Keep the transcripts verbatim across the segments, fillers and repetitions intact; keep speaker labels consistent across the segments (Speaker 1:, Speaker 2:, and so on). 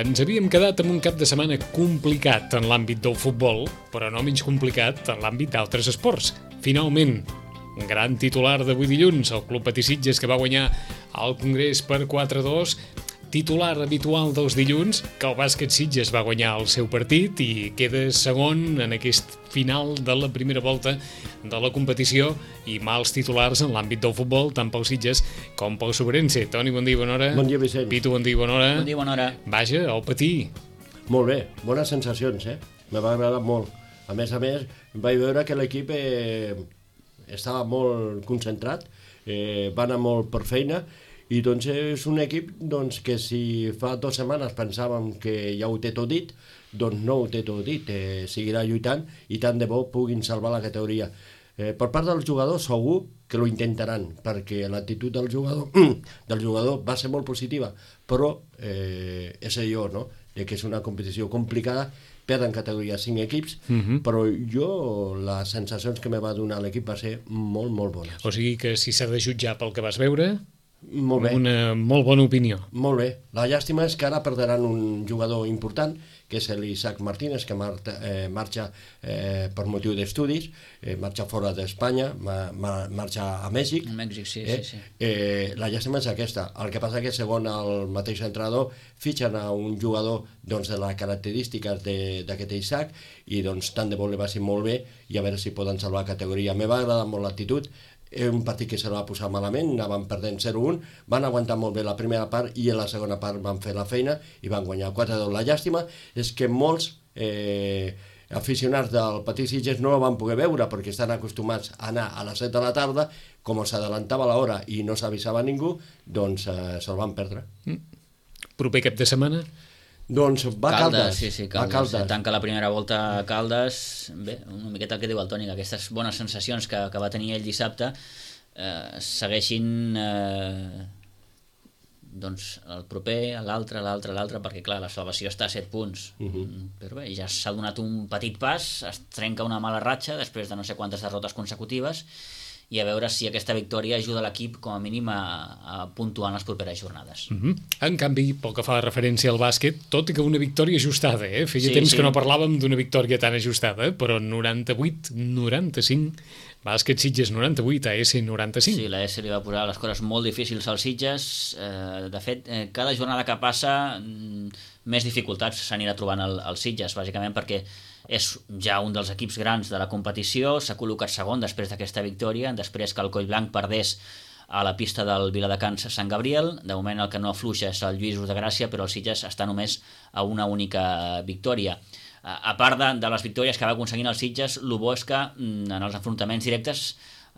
Speaker 1: Ens havíem quedat amb un cap de setmana complicat en l'àmbit del futbol, però no menys complicat en l'àmbit d'altres esports. Finalment, un gran titular d'avui dilluns, el Club Patí Sitges, que va guanyar el Congrés per quatre a dos, titular habitual dels dilluns, que el Bàsquet Sitges va guanyar el seu partit i queda segon en aquest final de la primera volta de la competició, i mals titulars en l'àmbit del futbol, tant pel Sitges com pel Sobrense. Toni, bon dia i bona hora.
Speaker 2: Bon dia, Vicent.
Speaker 1: Pitu, bon dia i bona hora.
Speaker 3: Bon dia i bona hora.
Speaker 1: Vaja, el Patí.
Speaker 2: Molt bé, bones sensacions, eh? Me va agradar molt. A més a més, vaig veure que l'equip eh, estava molt concentrat, eh, va anar molt per feina, i doncs és un equip doncs, que si fa dues setmanes pensàvem que ja ho té tot dit, doncs no ho té tot dit, eh, seguirà lluitant i tant de bo puguin salvar la categoria. Eh, per part dels jugadors segur que ho intentaran, perquè l'actitud del jugador, del jugador va ser molt positiva, però eh, és allò, no?, de que és una competició complicada, perden categoria cinc equips, uh-huh. però jo les sensacions que me va donar l'equip va ser molt, molt bones.
Speaker 1: O sigui que si s'ha de jutjar pel que vas veure,
Speaker 2: molt bé.
Speaker 1: Una molt bona opinió.
Speaker 2: Molt bé. La llàstima és que ara perderan un jugador important, que és l'Isaac Martínez, que marta, eh, marxa eh, per motiu d'estudis, eh, marxa fora d'Espanya, ma, ma, marxa a Mèxic.
Speaker 3: A Mèxic, sí,
Speaker 2: eh?
Speaker 3: sí, sí.
Speaker 2: Eh, la llàstima és aquesta. El que passa que, segons el mateix entrenador, fitxen a un jugador doncs, de les característiques d'aquest Isaac, i doncs tant de bo li va ser molt bé, i a veure si poden salvar la categoria. Me va agradar molt l'actitud. És un partit que se va posar malament, anaven perdent zero a un, van aguantar molt bé la primera part i a la segona part van fer la feina i van guanyar quatre a dos. La llàstima és que molts eh, aficionats del Patí Sitges no la van poder veure perquè estan acostumats a anar a les set de la tarda, com s'adelantava l'hora i no s'avisava ningú, doncs eh, se'l van perdre.
Speaker 1: Mm. Proper cap de setmana?
Speaker 2: Doncs va
Speaker 3: Caldes,
Speaker 2: Caldes.
Speaker 3: sí, sí, Caldes. Caldes. Tanca la primera volta a Caldes. Bé, una miqueta el que diu el Toni, que aquestes bones sensacions que, que va tenir ell dissabte eh, segueixin eh, doncs el proper, l'altre, l'altre, l'altre, perquè clar, la salvació està a set punts. Uh-huh. Però bé, ja s'ha donat un petit pas, es trenca una mala ratxa després de no sé quantes derrotes consecutives, i a veure si aquesta victòria ajuda l'equip com a mínim a, a puntuar en les properes jornades.
Speaker 1: Uh-huh. En canvi, pel que fa referència al bàsquet, tot i que una victòria ajustada, eh? Feia sí, temps sí. que no parlàvem d'una victòria tan ajustada, però noranta-vuit noranta-cinc, Bàsquet Sitges noranta-vuit, A S noranta-cinc.
Speaker 3: Sí, la A S li va posar les coses molt difícils als Sitges. Eh, de fet, eh, cada jornada que passa mm, més dificultats s'anirà trobant el, el Sitges, bàsicament perquè és ja un dels equips grans de la competició, s'ha col·locat segon després d'aquesta victòria, després que el Collblanc perdés a la pista del Viladecans Sant Gabriel. De moment el que no afluixa és el Lluïsos de Gràcia, però el Sitges està només a una única victòria. A part de, de les victòries que va aconseguint el Sitges, el bo és que en els enfrontaments directes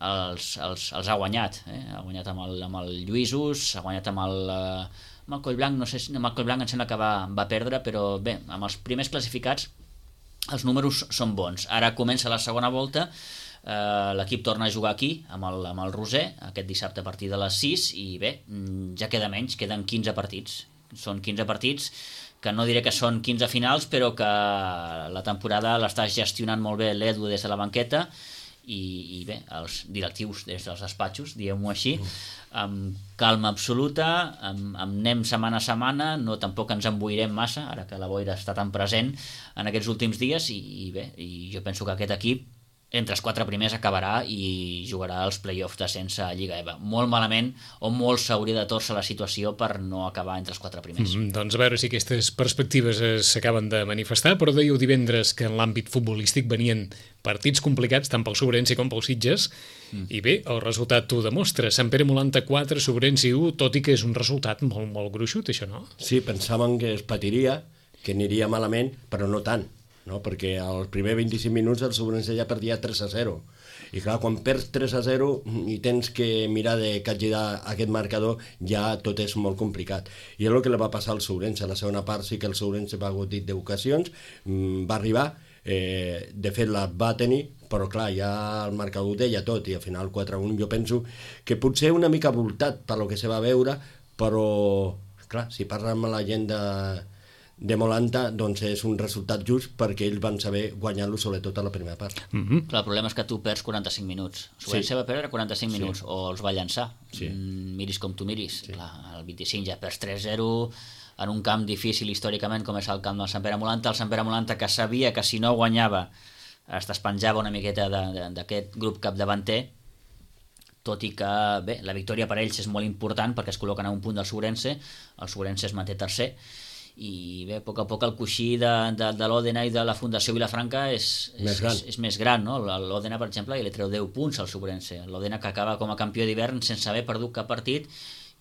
Speaker 3: els, els, els ha guanyat. Eh? Ha guanyat amb el, amb el Lluïsos, ha guanyat amb el, amb el Collblanc, no sé si amb el Collblanc em sembla que va, va perdre, però bé, amb els primers classificats els números són bons. Ara comença la segona volta, eh, l'equip torna a jugar aquí amb el, amb el Roser, aquest dissabte a partir de les sis, i bé, ja queda menys, queden quinze partits. Són quinze partits que no diré que són quinze finals, però que la temporada l'està gestionant molt bé l'Edu des de la banqueta i, i bé, els directius des dels despatxos, diguem-ho així, amb calma absoluta, amb, amb anem setmana a setmana, no tampoc ens emboirem massa, ara que la boira està tan present en aquests últims dies, i, i bé, i jo penso que aquest equip entre els quatre primers acabarà i jugarà els play-offs d'ascens a Lliga E V A. Molt malament, o molt s'hauria de torcer la situació per no acabar entre els quatre primers.
Speaker 1: Mm, doncs a veure si aquestes perspectives s'acaben de manifestar, però dèieu divendres que en l'àmbit futbolístic venien partits complicats tant pel Sobrense com pel Sitges, mm. i bé, el resultat ho demostra. Sant Pere Molanta quatre, Sobrense u, tot i que és un resultat molt, molt gruixut, això, no?
Speaker 2: Sí, pensàvem que es patiria, que aniria malament, però no tant. No? Perquè als primers vint-i-cinc minuts el Sobrense ja perdia tres a zero, i clar, quan perds tres a zero i tens que mirar de capgirar aquest marcador, ja tot és molt complicat, i és el que li va passar al Sobrense. A la segona part sí que el Sobrense va gaudir d'ocasions, va arribar, eh, de fet la va tenir, però clar, ja el marcador deia tot, i al final quatre a un. Jo penso que potser una mica voltat per lo que se va veure, però clar, si parla amb la gent de de Molanta, doncs és un resultat just perquè ells van saber guanyar-lo sobretot a la primera part.
Speaker 3: Mm-hmm. Clar, el problema és que tu perds quaranta-cinc minuts. Sobrense sí. va perdre quaranta-cinc sí. minuts, o els va llançar.
Speaker 2: Sí.
Speaker 3: Mm, miris com tu miris.
Speaker 2: Sí.
Speaker 3: Clar, el vint-i-cinc ja perds tres a zero, en un camp difícil històricament com és el camp del Sant Pere Molanta, el Sant Pere Molanta que sabia que si no guanyava es despenjava una miqueta d'aquest grup capdavanter, tot i que bé, la victòria per ells és molt important perquè es col·loquen a un punt del Sobrense, el Sobrense es manté tercer, i bé, a poc a poc el coixí de, de, de l'Òdena i de la Fundació Vilafranca és, és, més, gran. és, és més gran, no? L'Òdena, per exemple, li treu deu punts al Sobrense, l'Òdena que acaba com a campió d'hivern sense haver perdut cap partit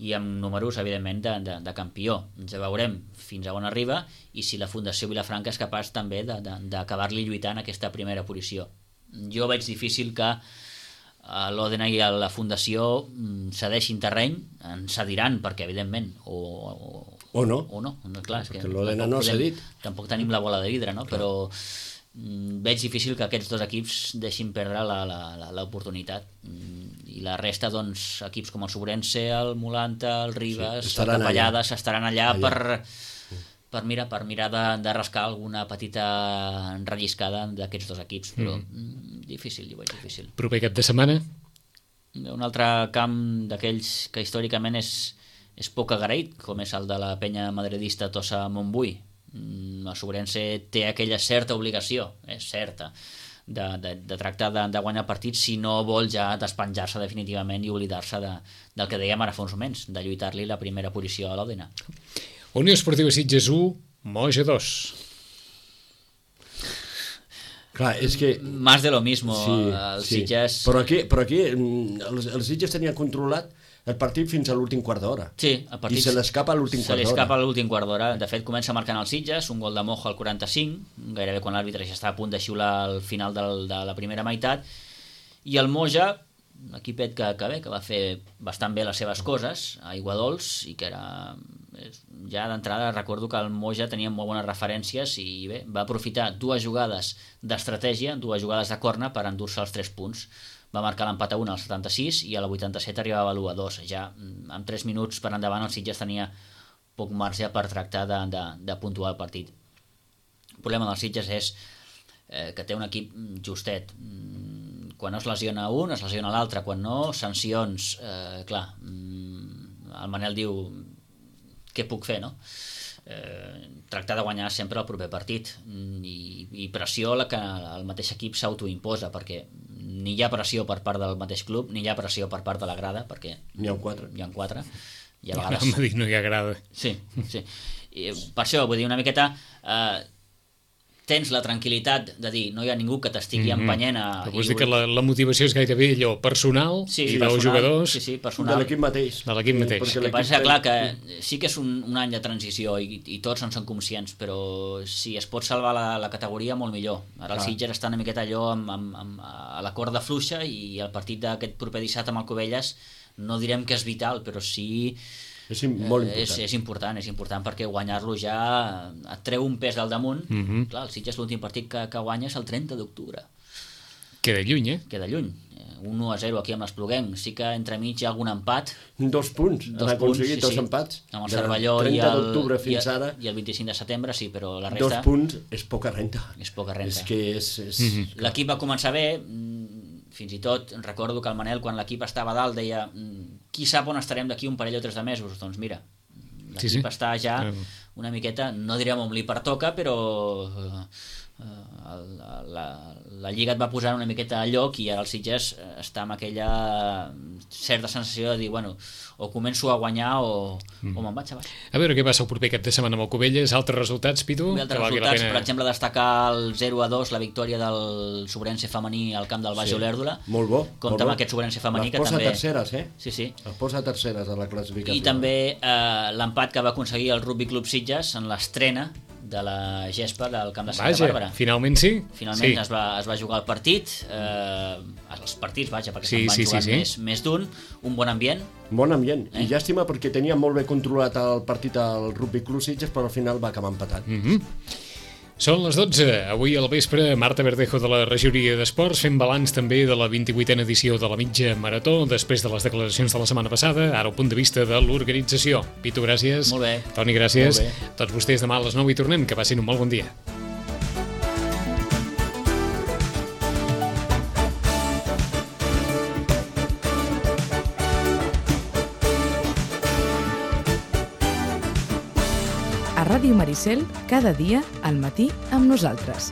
Speaker 3: i amb números, evidentment, de, de, de campió. Ens veurem fins a on arriba i si la Fundació Vilafranca és capaç també d'acabar-li lluitant aquesta primera posició. Jo veig difícil que l'Òdena i la Fundació cedeixin terreny, en cediran, perquè, evidentment, o, o,
Speaker 2: o no,
Speaker 3: o no. Clar, és
Speaker 2: perquè l'Òdena no ha cedit.
Speaker 3: Tampoc tenim la bola de vidre, no? Però veig difícil que aquests dos equips deixin perdre l'oportunitat. I la resta, doncs, equips com el Sobrense, el Molanta, el Ribes, sí, el Capellades, estaran allà, allà. per, per, mira, per mirar de, de rascar alguna petita enrelliscada d'aquests dos equips, però mm. difícil, jo veig difícil.
Speaker 1: Proper cap de setmana?
Speaker 3: Un altre camp d'aquells que històricament és, és poc agraït, com és el de la penya madridista Tossa Montbui. El Sobrense té aquella certa obligació, és certa, de, de, de tractar de, de guanyar partits si no vol ja despenjar-se definitivament i oblidar-se de, del que dèiem ara fa uns moments, de lluitar-li la primera posició a l'Òdena.
Speaker 1: Unió Esportiva Sitges u, Moja dos.
Speaker 2: Clar, és que...
Speaker 3: Más de lo mismo, sí, el
Speaker 2: sí.
Speaker 3: Sitges...
Speaker 2: Però aquí, però aquí el, el Sitges tenia controlat el partit fins a l'últim quart d'hora.
Speaker 3: Sí, el partit...
Speaker 2: I se l'escapa a l'últim quart d'hora.
Speaker 3: Se l'escapa a l'últim quart d'hora. De fet, comença marcant el Sitges, un gol de Mojo al quaranta-cinc, gairebé quan l'àrbitre ja està a punt de xiular al final del, de la primera meitat, i el Moja, un equipet que, que bé, que va fer bastant bé les seves coses, a Iguadols, i que era... Ja d'entrada recordo que el Moja tenia molt bones referències i bé, va aprofitar dues jugades d'estratègia, dues jugades de corna per endur-se els tres punts. Va marcar l'empat a un al setanta-sis i a la vuitanta-set arribava a l'u a dos. Ja amb tres minuts per endavant el Sitges tenia poc marge per tractar de, de, de puntuar el partit. El problema del Sitges és eh, que té un equip justet. Quan no es lesiona un, es lesiona l'altre. Quan no, sancions. Eh, clar, el Manel diu què puc fer, no? Eh, tractar de guanyar sempre el proper partit i, i pressió la que el mateix equip s'autoimposa, perquè ni hi ha pressió per part del mateix club ni hi ha pressió per part de la grada, perquè
Speaker 2: n'hi ha quatre,
Speaker 3: hi ha quatre i a vegades...
Speaker 1: No, no hi ha grada.
Speaker 3: Sí, sí. I per això, vull dir, una miqueta eh, tens la tranquil·litat de dir no hi ha ningú que t'estigui mm-hmm. empenyent a...
Speaker 1: Però vols dir que la, la motivació és gairebé allò personal
Speaker 3: sí,
Speaker 1: i
Speaker 3: dels
Speaker 1: jugadors
Speaker 3: sí, sí, personal.
Speaker 2: de l'equip mateix.
Speaker 1: De l'equip mateix.
Speaker 3: El que passa és clar que sí que és un, un any de transició i, i tots en són conscients, però si es pot salvar la, la categoria, molt millor. Ara el Sitges està una miqueta allò amb, amb, amb, a la corda fluixa i el partit d'aquest proper dissabte amb el Covelles no direm que és vital, però sí...
Speaker 2: És molt important.
Speaker 3: És, és important, és important perquè guanyar-lo ja et treu un pes del damunt.
Speaker 1: Mm-hmm.
Speaker 3: Clar, el Sitges l'últim partit que, que guanya és el trenta d'octubre.
Speaker 1: Queda lluny, eh?
Speaker 3: Queda lluny. un u a zero aquí amb l'Espluguenc. Sí que entremig hi ha algun empat.
Speaker 2: Dos punts.
Speaker 3: Dos
Speaker 2: han aconseguit
Speaker 3: punts, sí,
Speaker 2: dos
Speaker 3: sí.
Speaker 2: empats.
Speaker 3: Amb el Cervelló i el,
Speaker 2: fins
Speaker 3: i,
Speaker 2: ara,
Speaker 3: i el vint-i-cinc de setembre, sí, però la resta...
Speaker 2: Dos punts és poca renta.
Speaker 3: És poca renta.
Speaker 2: És que és... és...
Speaker 1: Mm-hmm.
Speaker 3: L'equip va començar bé, fins i tot recordo que el Manel, quan l'equip estava a dalt, deia qui sap on estarem d'aquí un parell o tres de mesos? Doncs mira, l'equip sí, sí. està ja una miqueta, no direm on li pertoca, però eh, la, la, la Lliga et va posar una miqueta a lloc i ara el Sitges està amb aquella certa sensació de dir, bueno, o començo a guanyar o, mm. o me'n vaig a baix.
Speaker 1: A veure què passa el proper cap de setmana amb el Covelles. Altres resultats, Pitu?
Speaker 3: Altres resultats, pena... per exemple, destacar el zero a dos, la victòria del Sobrense femení al camp del Baix sí. Olèrdola.
Speaker 2: Molt bo.
Speaker 3: Compte amb aquest Sobrense femení que també...
Speaker 2: Les posa terceres, eh?
Speaker 3: Sí, sí.
Speaker 2: Les posa terceres a la classificació.
Speaker 3: I també eh, l'empat que va aconseguir el Rugby Club Sitges en l'estrena de la gespa del camp de Santa
Speaker 1: vaja,
Speaker 3: Bàrbara.
Speaker 1: Finalment sí.
Speaker 3: Finalment
Speaker 1: sí.
Speaker 3: Es, va, es va jugar el partit, eh, els partits, vaja, perquè
Speaker 1: sí,
Speaker 3: se'n van
Speaker 1: sí,
Speaker 3: jugar
Speaker 1: sí, sí.
Speaker 3: més, més d'un, un bon ambient.
Speaker 2: Bon ambient,
Speaker 3: eh?
Speaker 2: I llàstima perquè tenia molt bé controlat el partit al Rugby Club Sitges, però al final va acabar empatat.
Speaker 1: Mm-hmm. Són les dotze, avui al vespre, Marta Verdejo de la Regidoria d'Esports fent balanç també de la vint-i-vuitena edició de la mitja marató, després de les declaracions de la setmana passada, ara el punt de vista de l'organització. Pitu, gràcies.
Speaker 3: Molt bé.
Speaker 1: Toni, gràcies. Tots vostès demà a les nou hi tornem, que passin un molt bon dia.
Speaker 4: a Ràdio Maricel cada dia al matí amb nosaltres.